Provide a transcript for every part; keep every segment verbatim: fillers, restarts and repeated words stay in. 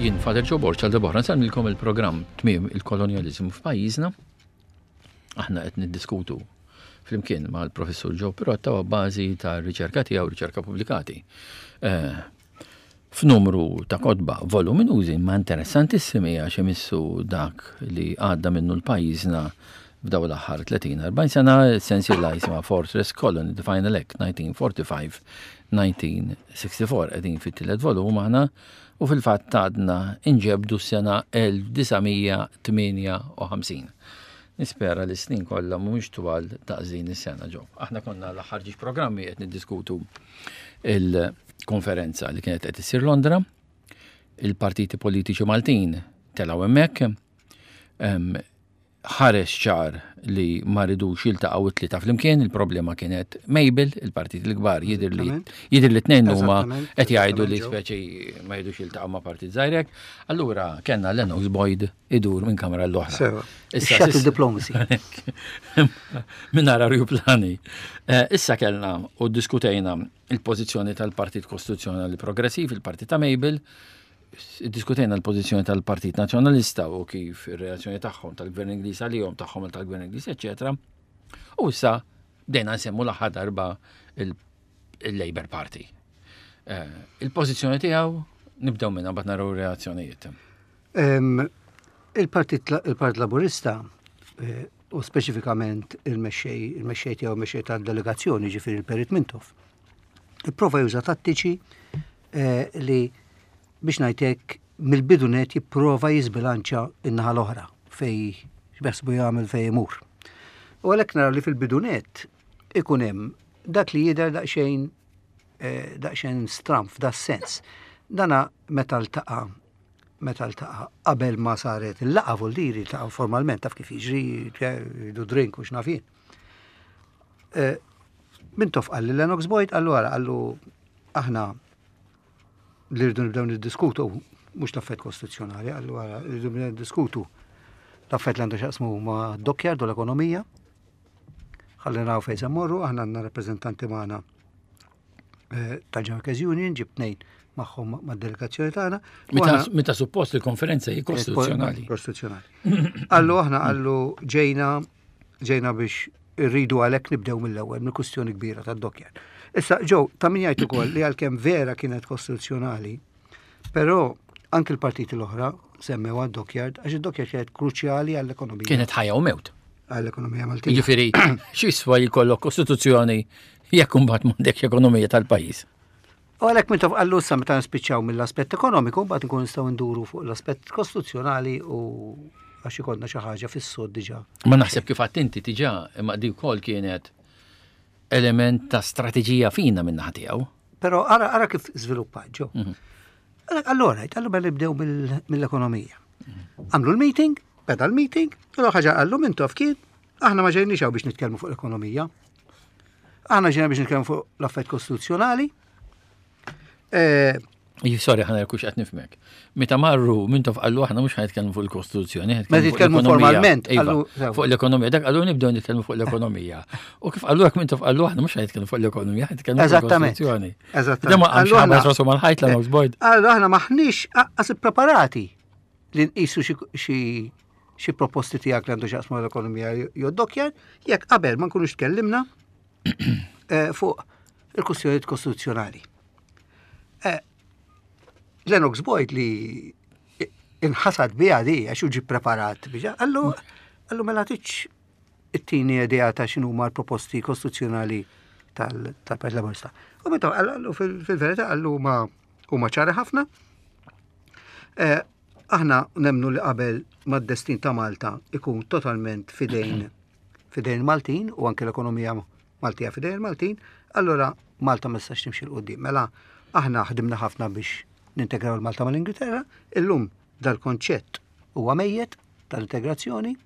Jien Father Joe Borg għal darb'oħra nsellmilkom il-programm Tmiem il-Kolonjaliżmu f'pajjiżna. Aħna qed niddiskutu flimkien mal-Professur Joe Pirotta u bażi ta' riċerka tiegħu, riċerka pubblikati. Eh, f'numru ta' kotba voluminużi ma interessantissimi għax imissu dak li għadda minnu l-pajjiżna f'daw l-aħħar tletin erbgħin sena, sensiela jisimha Fortress Colony, The Final Act, nineteen forty-five nineteen sixty-four. Qegħdin fit-tielet volum aħna u fil-fatt għadna inġebdu s-sena elf disa' mija tmienja u ħamsin. Nispera li snin kollha mhumiex twal daqs din is-sena ġo. Aħna konna l-aħħar ġiex programmi qed niddiskutu il-konferenza li kienet qed issir Londra, il-partiti politiċi Maltin telgħu hemmhekk, ħareġ ċar li ma ridux jiltaqgħu it-tlieta flimkien, il-problema kienet Mabel, il-partit il-kbar jidher li jidher li tnejn huma qed jgħidu li speċi ma jridux jiltaqgħu ma' partit żgħirek. Allura kellna Lennox Boyd idur minn kamra l-oħra. Issa shuttle diplomacy. Minn nara plani. Eh, issa kellna u diskutejna il-pożizzjoni tal-Partit Kostituzzjonali Progressiv, il-Partit ta' Mabel, diskutejna l-pożizzjoni tal-Partit Nazzjonalista u kif ir-reazzjoni tagħhom tal-Gvern Ingliż għalihom tagħhom tal-Gvern Ingliż, eċetera. U issa bdejna nsemmu l-aħħar darba il-Labour Party. Eh, il-pożizzjoni tiegħu nibdew minnha, mbagħad naraw reazzjonijiet. Il-Partit il-Partit Laburista eh, u speċifikament il-mexxej il-mexxej tiegħu, mexxej tad-delegazzjoni, ġifieri il-Perit Mintoff, ipprova juża tattiċi eh, li biex ngħidlek mill-bidu net jipprova jiżbilanċa in-naħa l-oħra fej x'beħsbu jagħmel, fej imur. U għalhekk naraw li fil-bidu net ikun hemm dak li jidher daqsxejn eh, daqsxejn stramp f'da sens. Dana meta ltaqa' meta ltaqa' qabel ma saret il-laqgħa, vuldiri ltaqa' formalment, taf kif jiġri, jieħdu drink u x'naf jien. Eh, Mintoff qal li Lennox Boyd, qallu ara, qallu, aħna li rridu nibdew niddiskutu mhux l-affett kostituzzjonali, qallu ara, rridu nibdew niddiskutu l-affett li għandu x'jaqsmu ma' dockyard u l-ekonomija. Ħalli naraw fejn se mmorru, aħna għandna rappreżentanti magħna eh, tal-Workers Union, ġib tnejn magħhom mad-delegazzjoni tagħna. U Meta aħna- meta suppost il-konferenza hi kostituzzjonali. Kostituzzjonali. Qallu aħna, qallu, ġejna ġejna biex irridu għalhekk nibdew mill-ewwel mill-kwistjoni kbira tad-dockyard. Issa ġew ta' min jgħid ukoll li għalkemm vera kienet kostituzzjonali, però anke l-partiti l-oħra semmew għad-dockyard għax id-dockyard kienet kruċjali għall-ekonomija. Kienet ħajja u mewt. Għall-ekonomija Maltija. Jiġifieri, x'jiswa jkollok kostituzzjoni jekk imbagħad m'għandekx ekonomija tal-pajjiż? U għalhekk meta qallu issa meta nispiċċaw mill-aspett ekonomiku, mbagħad nkun nistgħu nduru fuq l-aspett kostituzzjonali u għax ikollna xi ħaġa fis-sod diġà. Ma naħseb kif għedt inti diġà, imma di wkoll kienet element ta' strateġija fina minn naħa tiegħu. Però ara, ara kif żviluppat ġo. Allora, qallu mela nibdew mill- mill-ekonomija. Għamlu l-meeting, beda l-meeting, u ħaġa qallu Mintoff kien, aħna ma ġejniex hawn biex nitkellmu fuq l-ekonomija. Aħna ġejna biex nitkellmu fuq l-affett kostituzzjonali. Eh, Sorry, ħa nara hux qed nifhmek. Meta marru, Mintoff qallu aħna mhux ħa nitkellmu fuq il-Kostituzzjoni, ħa nitkellmu Meta fuq jitkellmu l-ekonomija. formalment, Iva, qallu- sew. fuq l-ekonomija. Dak qallu nibdew nitkellmu fuq l-ekonomija. U kif qallu hekk Mintoff qallu aħna mhux ħa nitkellmu fuq l-ekonomija, ħa nitkellmu fuq Eżattament. il-Kostituzzjoni. Eżattament. Da ma qamx Qallu ħabat aħna- rasu mal-ħajt Lennox Boyd. Qallu aħna maħniex anqas preparati li nqisu xi- xi xi proposti tiegħek li għandu x'jaqsmu l-ekonomija jew dockyard, jekk qabel ma nkunux tkellimna eh, fuq il-kwistjonijiet kostituzzjonali. Eh, Lennox Boyd li inħasad biha di għax hu ġi preparat biex qallu qallu mela tiċ it-tieni idea ta' x'inhu huma l-proposti kostituzzjonali tal- tal-Partit Laburista. U meta qallu fil- fil-verità qallu huma huma ċari ħafna. Eh, Aħna nemnu li qabel mad-destin ta' Malta ikun totalment fidejn fidejn Maltin u anke l-ekonomija Maltija fidejn Maltin, allora Malta ma tistax timxi 'l quddiem. Mela aħna ħdimna ħafna biex nintegraw il-Malta mal-Ingilterra, illum dal-konċett huwa mejjet tal-integrazzjoni,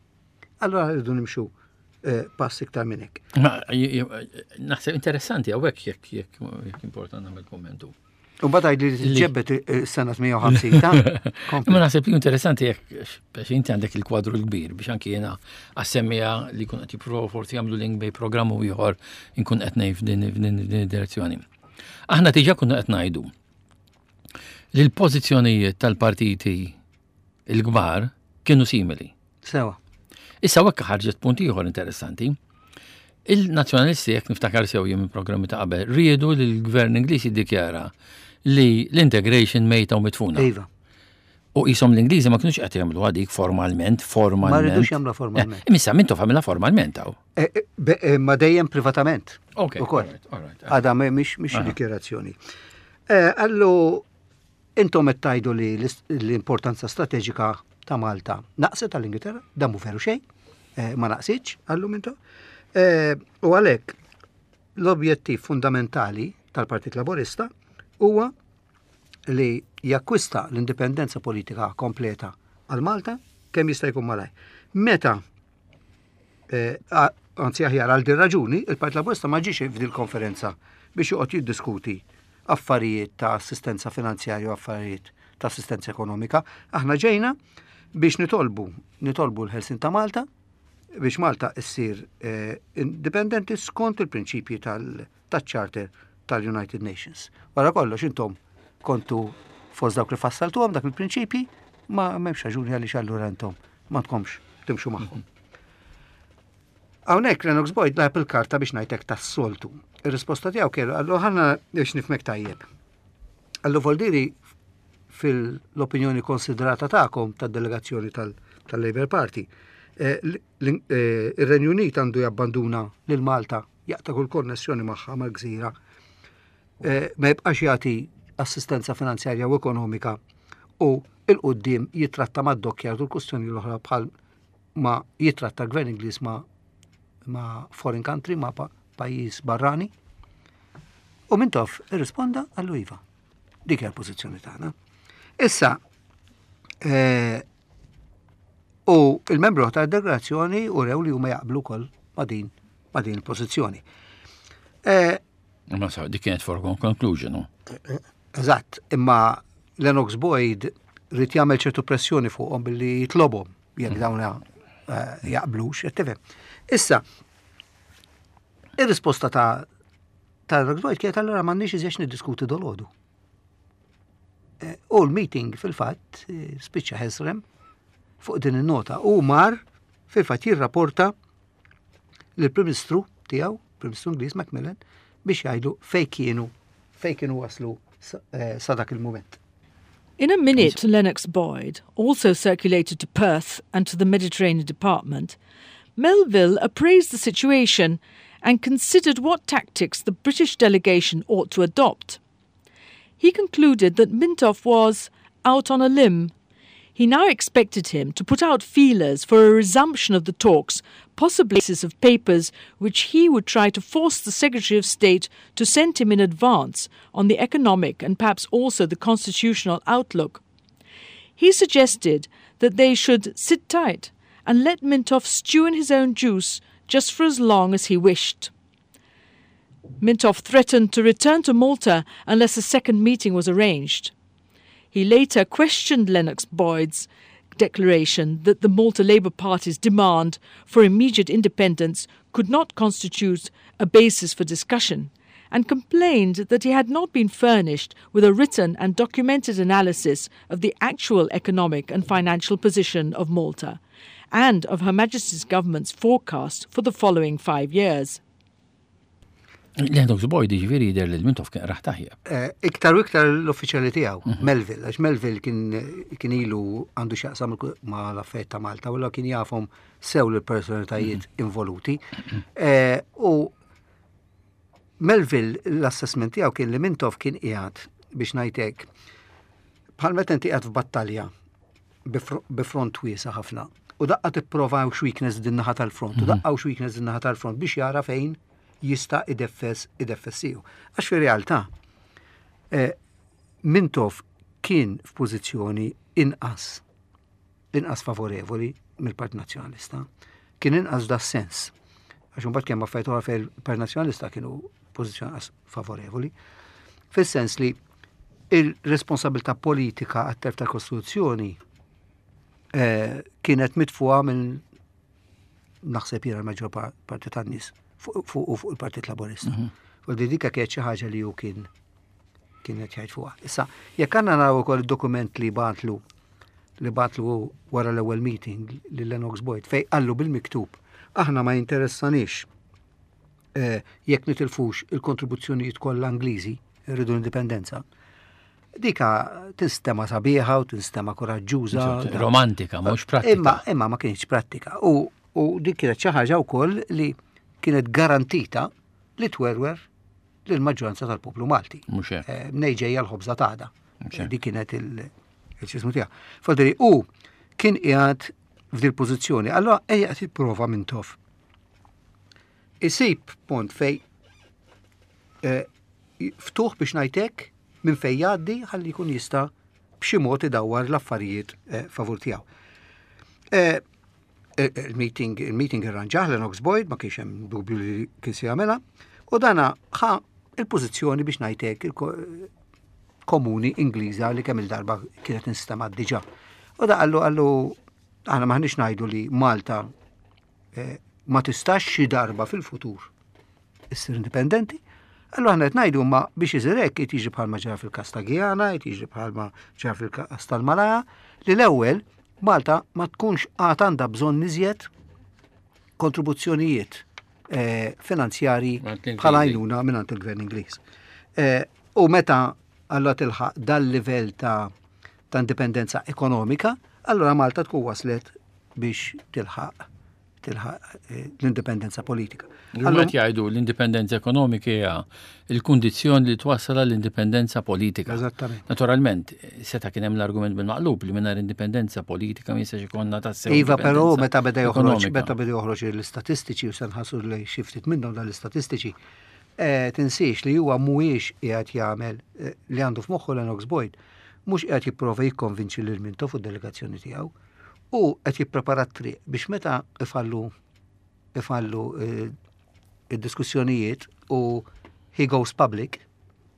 allora rridu nimxu eh, pass iktar minn hekk. Ma j- j- naħseb interessanti hawnhekk jekk jekk jekk important nagħmel kommentu. U mbagħad li ġebbet is-sena tmienja u ħamsin ta' kompli. Imma naħseb li interessanti jekk biex inti għandek il-kwadru l-kbir biex anki jiena għas-semmiegħa li kun qed jippruvaw forsi jagħmlu link bejn programm u ieħor inkun qed ngħid f'din f'din f'din id-direzzjoni. Aħna diġà kunna qed ngħidu Li l-pożizzjonijiet tal-partiti il-kbar kienu simili. Sewa. Issa hekk ħarġet punt ieħor interessanti. Il-nazzjonalisti, jekk niftakar sew jien minn programmi ta' qabel, riedu li l-gvern Ingliż jiddikjara li l-integration mejta u mitfuna. Iva. U jisom l-Ingliżi ma kienux qed jagħmlu dik formalment, formalment. Ma rridux jagħmluha formalment. Eh, Issa Mintoff għamilha formalment hawn. Eh, eh, be- eh, Ma dejjem privatament. Ok, Ukoll. alright, alright. Għada mhix mhix dikjerazzjoni. Eh, Allu intom qed tgħidu li l- l-importanza strateġika ta' Malta naqset tal-Ingilterra, dan mhu veru xejn, eh, ma naqsitx, qallu Mintoff. Eh, U għalhekk l-objettiv fundamentali tal-Partit Laborista huwa li jakkwista l-indipendenza politika kompleta għal Malta kemm jista' jkun malaj. Meta eh, a- anzi aħjar għal din raġuni, il-Partit Laburista ma ġiex f'dil konferenza biex joqgħod jiddiskuti affarijiet ta' assistenza finanzjarja u affarijiet ta' assistenza ekonomika. Aħna ġejna biex nitolbu, nitolbu l-ħelsien ta' Malta biex Malta issir eh, indipendenti skont il-prinċipji tal-Charter tal-United Nations. Wara kollox intom kontu fost dawk li fassaltuhom dak il-prinċipji, ma m'hemmx raġuni għaliex allura intom ma tkomx timxu magħhom. Hawnhekk Lennox Boyd lagħab il-karta biex ngħidlek tas-soltu. Ir-risposta tiegħu kienu qallu ħanna biex nifhmek tajjeb. Qallu voldiri fil-opinjoni konsiderata tagħkom tad-delegazzjoni tal-Labour Party, eh, l- l- eh, ir-Renju Unit għandu jabbanduna lil Malta, jaqta' kull konnessjoni magħha mal-gżira, eh, ma jibqax jagħti assistenza finanzjarja u ekonomika u 'il quddiem jitratta mad-dockyard u l-kustjoni l-oħra bħal ma jitratta l-gvern Ingliż ma' ma' foreign country, ma' pa pajjiż barrani. U Mintoff irrisponda qallu iva. Dik hija l-pożizzjoni tagħna. Issa, eh, u il-membru ta' delegazzjoni u rew li huma jaqblu wkoll ma' din ma' din il-pożizzjoni. Eh, Ma sa, dik kienet foregone conclusion, no? Eżatt, imma Lennox Boyd ried jagħmel ċertu pressjoni fuqhom billi jitlobhom jekk dawn eh, jaqblux, qed tifhem. Issa, ir-risposta ta' ta' Lennox Boyd kienet allura m'għandniex iżjed niddiskuti dolodu. Eh, U l-meeting fil-fatt eh, spiċċa ħesrem fuq din in-nota u mar fil-fatt jirrapporta lill-Prim Ministru tiegħu, Prim Ministru Ingliż Macmillan, biex jgħidu fej kienu fej kienu waslu sa eh, sa dak il-moment. In a minute, Lennox Boyd, also circulated to Perth and to the Mediterranean Department, Melville appraised the situation and considered what tactics the British delegation ought to adopt. He concluded that Mintoff was out on a limb. He now expected him to put out feelers for a resumption of the talks, possibly basis of papers which he would try to force the Secretary of State to send him in advance on the economic and perhaps also the constitutional outlook. He suggested that they should sit tight and let Mintoff stew in his own juice just for as long as he wished. Mintoff threatened to return to Malta unless a second meeting was arranged. He later questioned Lennox Boyd's declaration that the Malta Labour Party's demand for immediate independence could not constitute a basis for discussion and complained that he had not been furnished with a written and documented analysis of the actual economic and financial position of Malta and of Her Majesty's government's forecast for the following five years. Lennox Boyd ġifieri jidher li l-Mintoff kien raħ tajjeb. Eh, Iktar u iktar l-uffiċjali tiegħu, Melville, għax Melville kien kien ilu għandu x'jaqsam ma l-affarijiet ta' Malta, u kien jafhom sew l-personalitajiet involuti. Eh, U Melville l-assessment tiegħu kien li Mintoff kien qiegħed biex ngħidlek bħal meta inti qiegħed f'battalja bi front wiesa ħafna. U daqqa tipprova hawn weakness din naħa tal-front, u daqqa hawn weakness din naħa tal-front biex jara fejn jista' ideffes ideffes siequ. Għax fi realtà eh, Mintoff kien f'pożizzjoni inqas inqas favorevoli mill-Partit Nazzjonalista. Kien inqas da sens. Għax imbagħad kemm affarijiet oħra fejn il-Partit Nazzjonalista kienu pożizzjoni inqas favorevoli. Fis-sens li il-responsabilità politika għat-telf tal-Kostituzzjoni eh, kienet mitfuqa minn naħseb jiena l-maġġor parti tan-nies fuq fuq fuq il-Partit Laburista. U di dika kienet xi ħaġa li hu kien kien qed jgħid fuqha. Issa, jekk għandna naraw ukoll id-dokument li bagħatlu li bagħatlu wara l-ewwel meeting lil Lennox Boyd fejn qallu bil-miktub aħna ma jinteressanix eh, jekk nitilfux il-kontribuzzjonijiet kollha Ingliżi, irridu l-indipendenza. Dika tinstema sabiħa u tinstema koraġġuża. Romantika, mhux prattika. Imma, imma ma kienx prattika. U, u dik kienet xi ħaġa wkoll li kienet garantita li twerwer lil maġġoranza tal-poplu Malti. Mhux hekk. Eh, Mnejn ġejja l-ħobża tagħda. Mhux hekk. Dik kienet il-ċismu tiegħu. Fodri, u kien qiegħed f'dil pożizzjoni, allora ejja qed jipprova Mintoff. Isib pont fej eh, ftuħ biex ngħidlek minn fej jgħaddi ħalli jkun jista' b'xi mod idawwar l-affarijiet eh, favur tiegħu. Eh, eh, Il-meeting il-meeting irranġah Lennox Boyd, ma kienx hemm dubju li kien se jagħmilha, u dana ħa il-pożizzjoni biex ngħidlek il-komuni Ingliża li kemm il-darba kienet instemgħet diġà. U da qallu qallu aħna maħniex ngħidu li Malta eh, ma tistax xi darba fil-futur issir indipendenti. Allura aħna qed ngħidu ma biex isir hekk qed jiġri bħalma ġara fil-każ ta' Guyana, qed jiġri bħalma ġara fil-każ tal-Malaja, li l-ewwel Malta ma tkunx għad għandha bżonn iżjed kontribuzzjonijiet eh, finanzjari Mingħand l-Ingliżi. bħala għajnuna mingħand il-Gvern Ingliż. Eh, U meta allura tilħaq dal-livell ta' ta' indipendenza ekonomika, allura Malta tkun waslet biex tilħaq tilħaq eh, l-indipendenza politika. Allura qed jgħidu l-indipendenza ekonomika hija il-kundizzjoni li twassal l-indipendenza politika. Eżattament. Naturalment, seta' kien hemm l-argument bil-maqlub li mingħajr indipendenza politika ma jistax ikollna tassew. Iva, però indipendenza meta beda joħroġ, ekonomika. meta beda joħroġ l-istatistiċi u se nħarsu li xi ftit minnhom dan l-istatistiċi, eh, tinsiex li huwa mhuwiex qiegħed jagħmel eh, li għandu f'moħħu Lennox Boyd, mhux qiegħed jipprova jikkonvinċi lil Mintoff fuq delegazzjoni tiegħu u qed jipprepara t-triq biex meta ifallu ifallu eh, id-diskussjonijiet u he goes public,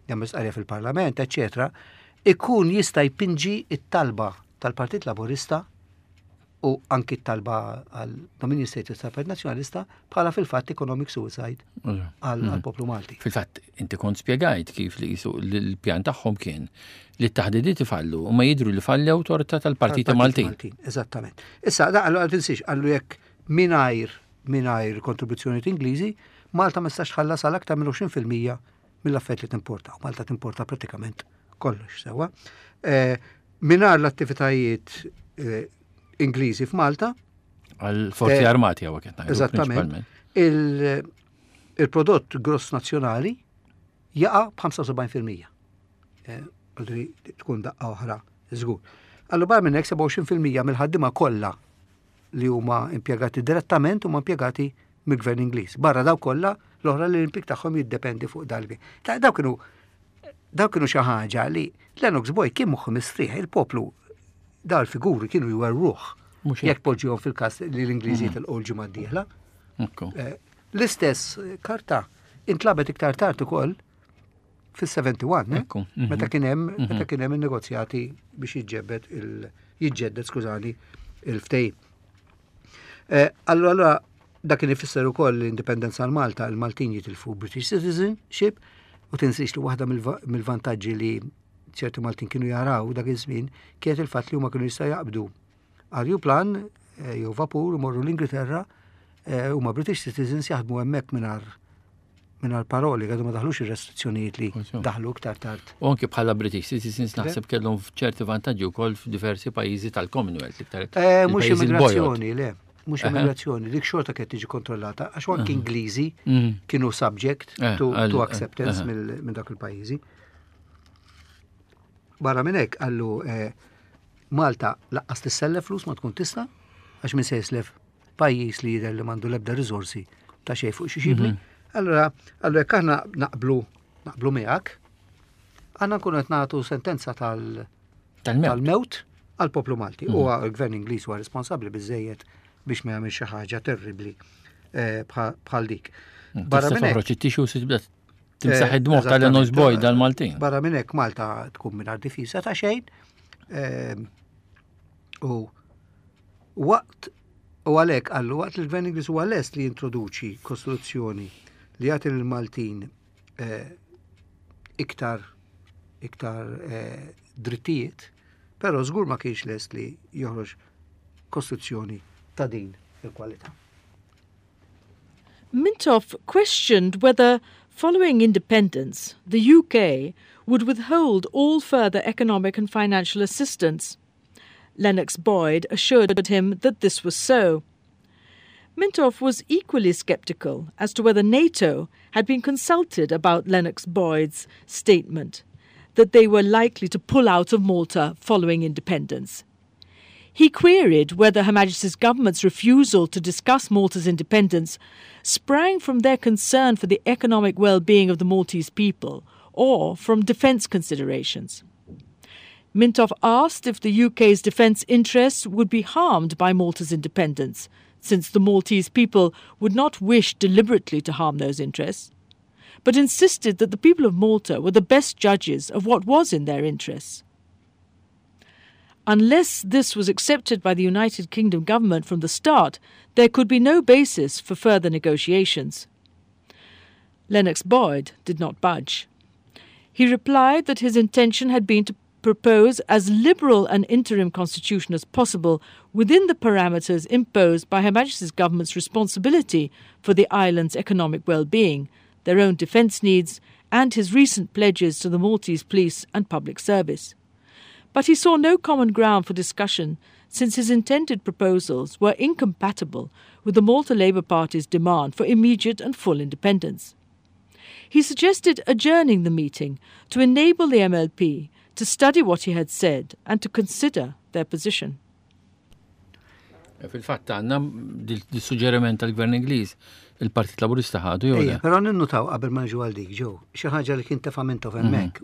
jagħmel stqarrija fil-Parlament, eċetera, ikun jista' jpinġi it-talba tal-Partit Laburista u anki t-talba għal dominion status tal-Partit Nazzjonalista bħala fil-fatt economic suicide għal għal poplu Malti. Fil-fatt, inti kont spjegajt kif li jisu l-pjan tagħhom kien li t-taħdidiet ifallu u ma jidru li fallew torta tal-Partiti Maltin. Eżattament. Issa, da qallu għal tinsiex, qallu jekk mingħajr mingħajr kontribuzzjoni Ingliżi, Malta ma tistax tħallas għal aktar minn għoxrin fil-mija mill-affarijiet li timporta. U Malta timporta pratikament kollox sewwa. Eh, Mingħajr l-attivitajiet eh, Ingliżi f'Malta, Għal forzi Eh, armati għawa kien ngħidu eżattament, prinċipalment. il- il-prodott gross nazzjonali jaqa' b'ħamsa u sebgħin fil-mija. Eh, Għaldri tkun daqqa oħra, żgur. Allura barra minn hekk sebgħa u għoxrin fil-mija mill-ħaddiema kollha li huma impjegati direttament huma impjegati mill-Gvern Ingliż. Barra daw kollha l-oħra li l-impjieg tagħhom jiddependi fuq dalbi. Ta' daw kienu daw kienu xi ħaġa li Lennox Boyd kien moħħu mistrieħ, il-poplu daw il-figuri kienu jwerruh. Mhux hekk. Jekk poġġihom fil-każ li l-Ingliżi tilqu l-ġimgħa d-dieħla. Ekku. Eh, L-istess karta intlabet iktar tard ukoll fis-sebgħa u sebgħin, eh? Ekku, mhm. Meta kien hemm meta kien hemm in-negozjati biex jiġġebbed il jiġġedded skużani il-ftehim. Eh, Allura allura dak kien ifisser ukoll l-indipendenza għal Malta, il-Maltin jitilfu British citizenship u tinsiex li waħda mill-va- mill-vantaġġi li ċerti Maltin kienu jaraw dak iż-żmien kienet il-fatt li huma kienu jista' jaqbdu ajruplan eh, jew vapur imorru l-Ingilterra eh, huma British citizens jaħdmu hemmhekk mingħajr mingħajr paroli, għadu ma daħlux ir-restrizzjonijiet li Użu. daħlu iktar tard. U anki bħala British citizens naħseb kellhom ċerti vantaġġi wkoll f'diversi pajjiżi tal-Commonwealth iktar. Eh, Mhux il-pajjiżi l-bojod. immigrazzjoni, le, mhux Aha. immigrazzjoni, dik xorta kienet tiġi kontrollata, għax anki Ingliżi Mm. kienu subject Eh, to, għal- to acceptance aha. mill- minn dak il-pajjiżi. Barra minn hekk qallu eh, Malta lanqas tissellef flus ma tkun tista' għax min se jislef pajjiż li jidher li m'għandu l-ebda riżorsi ta' xejn fuq xi xibli. Mhm. Allura, allura jekk aħna naqblu naqblu miegħek, aħna nkunu qed nagħtu sentenza tal Tal-mewt. tal-mewt għal poplu Malti. U għal-gvern Ingliż huwa responsabbli biżejjed biex ma jagħmel xi ħaġa terribbli eh, bħal bħal dik. Barra Barra minn minn hekk, toħroġ it-tixu u tibda timsaħ eh, id-dmugħ tal-Lennox eżattament. Boyd dal-Maltin. Barra minn hekk Malta tkun mingħajr difiża ta' xejn. eh, U waqt u għalhekk qallu waqt li l-Gvern Ingliż huwa lest li jintroduċi kostituzzjoni li jagħti lill-Maltin eh, iktar iktar eh, drittijiet, però żgur ma kienx lest li joħroġ kostituzzjoni ta' din il-kwalità. Mintoff questioned whether, following independence, the U K would withhold all further economic and financial assistance. Lennox Boyd assured him that this was so. Mintoff was equally sceptical as to whether NATO had been consulted about Lennox Boyd's statement that they were likely to pull out of Malta following independence. He queried whether Her Majesty's government's refusal to discuss Malta's independence sprang from their concern for the economic well being of the Maltese people or from defence considerations. Mintoff asked if the U K's defence interests would be harmed by Malta's independence, since the Maltese people would not wish deliberately to harm those interests, but insisted that the people of Malta were the best judges of what was in their interests. Unless this was accepted by the United Kingdom government from the start, there could be no basis for further negotiations. Lennox Boyd did not budge. He replied that his intention had been to propose as liberal an interim constitution as possible within the parameters imposed by Her Majesty's government's responsibility for the island's economic well-being, their own defence needs, and his recent pledges to the Maltese police and public service. But he saw no common ground for discussion, since his intended proposals were incompatible with the Malta Labour Party's demand for immediate and full independence. He suggested adjourning the meeting to enable the M L P to study what he had said and to consider their position. Fil-fatt għandna dil-suġġeriment tal-Gvern Ingliż, il-Partit Laburista ħadu jew le? Però ninnutaw qabel ma nġu għal dik ġew, xi ħaġa li kien tefa' Mintoff hemmhekk.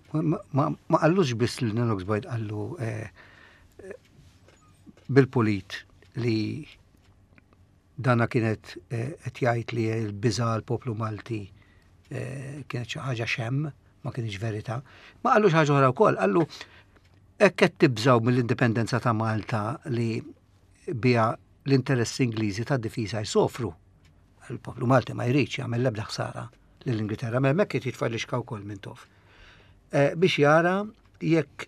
Ma qallux biss li Lennox Boyd qallu eh, bil-pulit li dana kienet eh, qed jgħid li l-biża' l-poplu Malti eh, kienet xi ħaġa xemm, ma kienx verità. Ma qallu xi ħaġa oħra wkoll, qallu hekk qed tibżgħu mill-indipendenza ta' Malta li bija l-interessi Ingliżi ta' difiża jsofru. Il-poplu Malti ma jridx jagħmel l-ebda ħsara lill-Ingilterra, ma hemmhekk qed jitfa' lixka wkoll Mintoff. Eh, biex jara jekk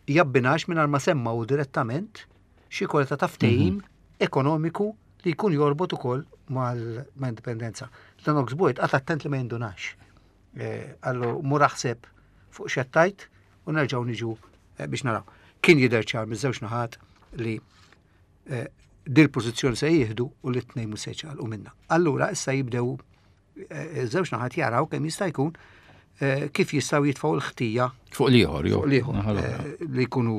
jabbinax mingħajr ma semmaw direttament xi kwalità ta' ftehim ekonomiku li jkun jorbot ukoll mal-indipendenza. Lennox Boyd qagħad attent li ma jindunax. Eh, Qallu mur aħseb fuq x'għedt u nerġgħu niġu eh, biex naraw. Kien jidher ċar miż-żewġ naħat li eh, dil pożizzjoni se jieħdu u li t-tnejn mhux se jċaqalqu minna. Allura issa jibdew żewġ naħat jaraw kemm jista' jkun kif jistgħu jitfgħu l-ħtija fuq l-ieħor, jew fuq l-ieħor li jkunu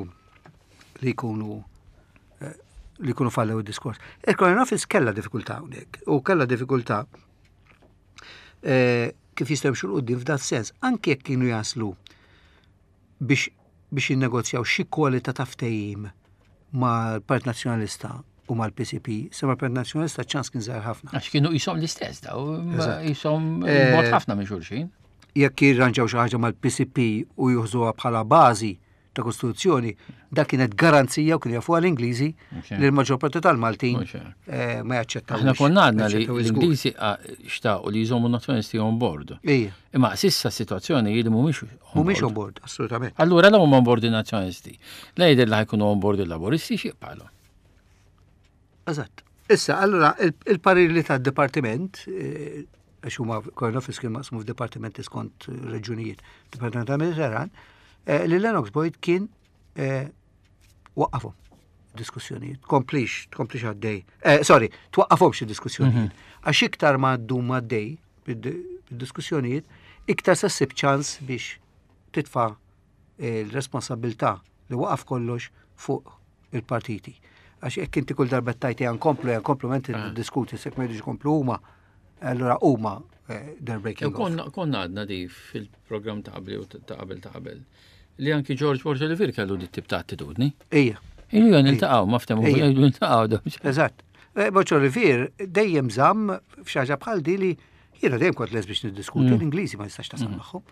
li jkunu li jkunu fallew id-diskors. Il-Colonial Office kella diffikultà hawnhekk u kella diffikultà kif jistgħu jimxu 'l quddiem f'dat sens, anke jekk kienu jaslu biex biex jinnegozjaw xi kwalità ta' ftehim mal-Partit Nazzjonalista u mal-P C P, se mal-Partit Nazzjonalista ċans kien żgħar ħafna. Għax kienu jisom l-istess daw, jisom bogħod ħafna minn xulxin. Jekk jirranġaw xi ħaġa mal-P C P u jużuha bħala bażi ta' kostituzzjoni, dak kienet garanzija u kien jafu l-Ingliżi li l-maġġor parti tal-Maltin eh, ma jaċċettaw. Aħna konna għadna li l-Ingliżi xtaqu li jżommu nazzjonisti on board. Imma s'issa situazzjoni li mhumiex. Mhumiex on board, assolutament. Allura la huma on board il-nazzjonisti. La jidher li ħa jkunu on board il-Laburisti, xi jibqagħlu. Eżatt. Issa, allura il-parir li tad-dipartiment, eh, għax huma Colonial Office kien maqsmu f'dipartimenti skont reġunijiet, Dipartiment tal-Mediterran, eh, li Lennox Boyd kien eh, waqqafhom diskussjonijiet, komplix, tkomplix għaddej. Eh, sorry, twaqqafhom xi diskussjonijiet. Mhm. Għax iktar ma ddum għaddej bid-diskussjonijiet, iktar se ssib ċans biex titfa' l-responsabilità li waqaf kollox fuq il-partiti. Għax jekk inti kull darba tajti għan komplu, għan komplu, menti ah. diskuti, sekk ma jridux komplu huma, allura huma eh, they're breaking off. Konna għadna di fil-programm ta' qabel u ta' qabel ta' qabel li anki George Borg Olivier kellu di tip ta' attitudni. Ija. Ilu għan iltaqgħu, ma ftehmu, iltaqgħu. Eżatt. Eh, Borg Olivier dejjem żamm f'xaġa bħal di li jiena dejjem kont les biex niddiskuti, mm. l-Ingliżi ma jistax tasal mm. magħhom.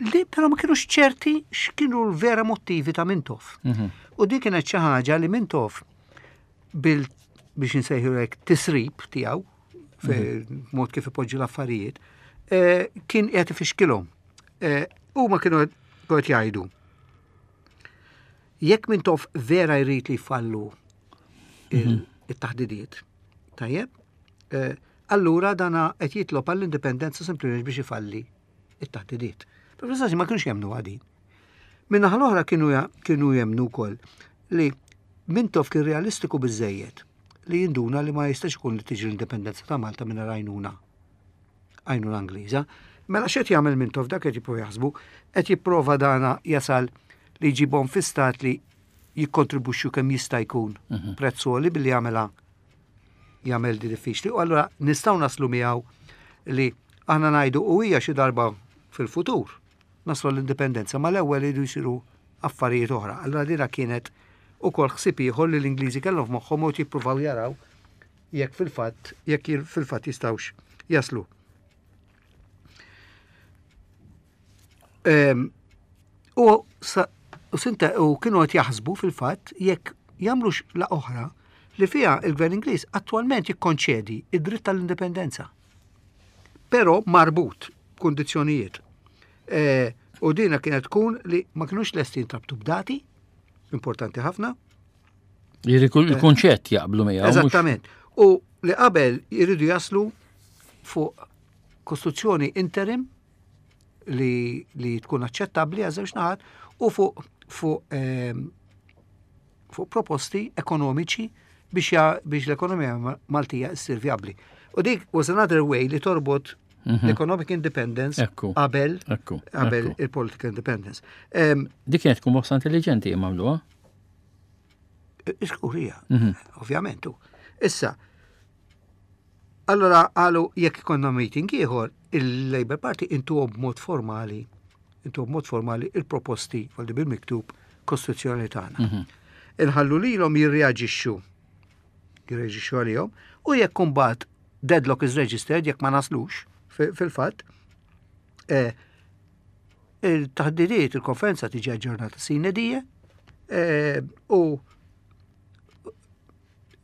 Li però ma kienux ċerti x'kienu l-vera motivi ta' Mintoff. Mhm. U di kienet xi ħaġa li Mintoff bil biex nsejħu hekk tisrib tiegħu mhm. mod kif ipoġġi l-affarijiet, eh, kien qiegħed ifixkilhom. Eh, Huma kienu qed jgħidu. Jekk Mintoff vera jrid li jfallu il- it-taħdidiet, tajjeb, eh, allura dana qed jitlob għall-indipendenza sempliċement biex ifalli it-taħdidiet. Però fl ma kienux jemmnu għadin. Min-naħa l-oħra kienu ja- kienu jemmnu wkoll li Mintoff kien realistiku biżejjed li jinduna li ma jistax ikun li tiġi l-indipendenza ta' Malta minn għajnuna għajnuna Ingliża. Mela x'qed jagħmel Mintoff dak qed jipprova jaħsbu, qed jipprova dana jasal li jġibhom fi stat li jikkontribwixxu kemm jista' jkun prezz għoli billi jagħmilha jagħmel di diffiċli. U allura nistgħu naslu miegħu li aħna ngħidu u hija xi darba fil-futur naslu l-indipendenza, ma l-ewwel iridu jsiru affarijiet oħra. Allura dina kienet ukoll ħsieb ieħor li l-Ingliżi kellhom f'moħħhom u jippruvaw jaraw jekk fil-fatt jekk fil-fatt jistgħux jaslu. Ehm, U sa- u sinta u kienu qed jaħsbu fil-fatt jekk jagħmlux la oħra li fiha il-Gvern Ingliż attwalment jikkonċedi id-dritt tal-indipendenza. Però marbut b'kundizzjonijiet. E, u dina kienet tkun li ma kinux lesti jintrabtu b'dati, importanti ħafna. Jiġifieri kull- il-kunċett jaqblu miegħu. mhux- Eżattament. U li qabel jridu jaslu fuq kostituzzjoni interim li, li tkun aċċettabbli għal żewġ naħat u fuq fuq ehm, fuq proposti ekonomiċi biex, ja, biex l-ekonomija Ma- Maltija ssir viabli. U dik was another way li torbot l-economic independence Ekku. qabel Ekku, qabel ekku. il-political independence. Ehm, Dik kienet tkun mossa intelligenti jagħmluha. Iskurija, ovvjament. u. Issa, allora għalu jekk ikonna meeting ieħor, il-Labour Party intuhom b'mod formali, intuhom b'mod formali il-proposti għaldi bil-miktub kostituzzjonali tagħna. Inħallu lilhom jirreaġixxu, jirreaġixxu għalihom, u jekk imbagħad deadlock is registered, jekk ma naslux fi- fil-fatt, eh, il-taħdidiet, il-konferenza tiġi aġġornata sine die, eh, u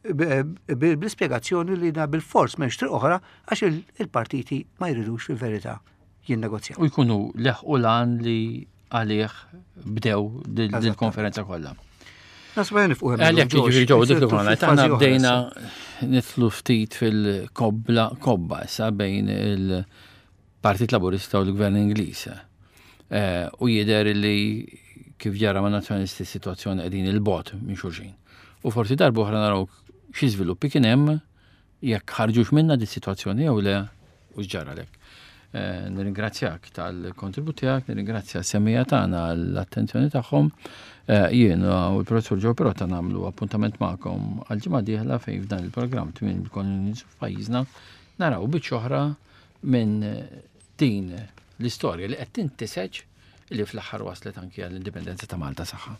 bl-ispjegazzjoni li da bil-fors m'hemmx triq oħra għax il- il-partiti ma jridux fil-verità jinnegozjaw. U jkunu leħqu lan li għalih bdew dil-konferenza kollha. Nasba nifqu hemm Għalhekk illum, jiġifieri ġew dik Ġorġ, li fil- aħna fażi oħra bdejna issa. nidħlu ftit fil-kobla kobba issa bejn il-Partit Laburista u l-Gvern Ingliż. Eh, U jidher li kif ġara ma' nazzjonalisti situazzjoni qegħdin il-bogħod minn xulxin. U forsi darba oħra naraw xi żviluppi kien hemm jekk ħarġux minna di situazzjoni jew le u x'ġara lek. Eh, Nirringrazzjak tal-kontribut tiegħek, nirringrazzja s-semmiegħa tagħna għall-attenzjoni tagħhom. Eh, Jien u l-professur Joe Pirotta nagħmlu appuntament magħkom għal-ġimgħa dieħla fejn f'dan il-programm tmien il-kolonijiet f'pajjiżna naraw biċċa oħra minn din l-istorja li qed tintiseġ li fl-aħħar waslet anki għall-indipendenza ta' Malta saħħa.